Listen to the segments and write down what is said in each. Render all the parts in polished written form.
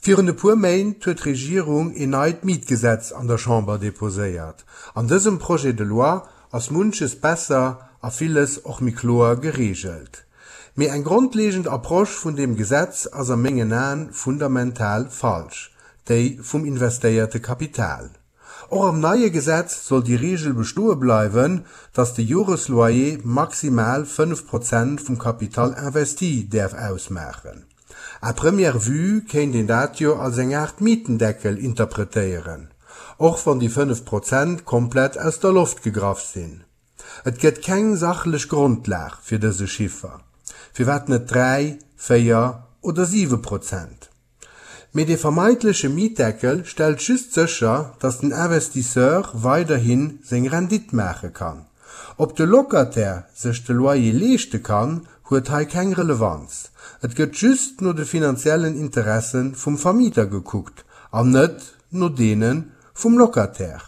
Virun e puer Méint huet d'Regierung een neit Mietgesetz an der Chamber deposéiert. An dësem Projet de loi ass munches besser a villes och méi kloer gereegelt. Mee eng grondlegend Approche vun deem Gesetz ass a mengen Aen fundamental falsch, déi vum investéierte Kapital. Och am neie Gesetz soll déi Reegel bestoe bleiwen, dass de Joresloyer maximal 5 Prozent vum Capital investi däerf ausmaachen. À première vue kéint een dat jo als eng Aart Mietendeckel interpretéieren, och wann déi 5 Prozent komplett aus der Loft gegraff sinn. Et gëtt keng sachlech Grondlag fir dëse Chiffer. Firwat net 3, 4 oder 7 Prozent? Mee dee vermeintleche Mietdeckel stellt just sécher, datt den Investisseur weiderhi seng Rendite maache kann. Ob de Locataire sech de Loyer leeschte kann, huet hei keng Relevanz. Et gëtt just no de finanziellen Interesse vum Vermieter gekuckt an net no deene vum Locataire.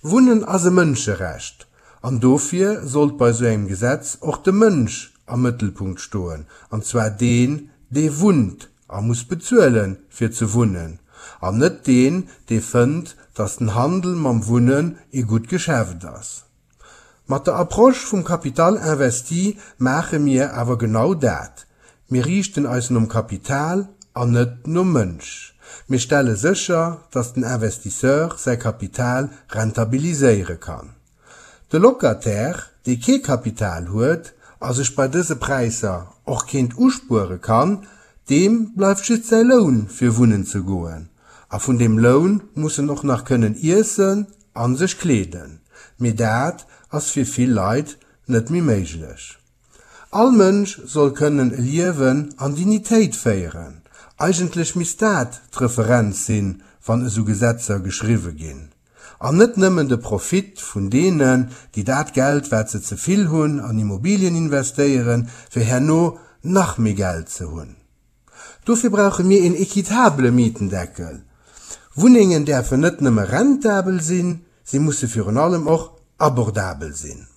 Wunnen ass e Mënscherecht an dofir sollt bei sou engem Gesetz och de Mënsch am Mëttelpunkt stoen, an zwar deen, dee wunnt a muss bezuelen, fir ze wunnen, an net deen, dee fënnt, datt den Handel mam Wunnen ee gutt Geschäft ass. Mat der Approche vum Capital investi maache mir awer genau dat, Mir riichten eis nom Kapital an net nom Mënsch. Mir stelle sécher, dass den Investisseur säi Kapital rentabiliséiere kann. De Locataire, dee kee Kapital huet a sech bei dëse Präisser och keent uspuere kann, deem bleift just säi Loun fir wunnen ze goen. A vun deem Loun muss en och nach kënnen iessen a sech kleeden. Mee dat ass fir vill Leit net méi méiglech. All Mënsch soll kënnen e Liewen an Dignitéit féieren. Eigentlech misst dat d'Referenz sinn, wann esou Gesetzer geschriwwe ginn. An net nëmmen de Profit vun deenen, déi dat Geld, wat se ze vill hunn, an Immobilien investéieren, fir herno nach méi Geld ze hunn. Dofir brauche mir een equitabele Mietendeckel. Wunnengen däerfen net nëmme rentabel sinn, si musse virun allem och abordabel sinn.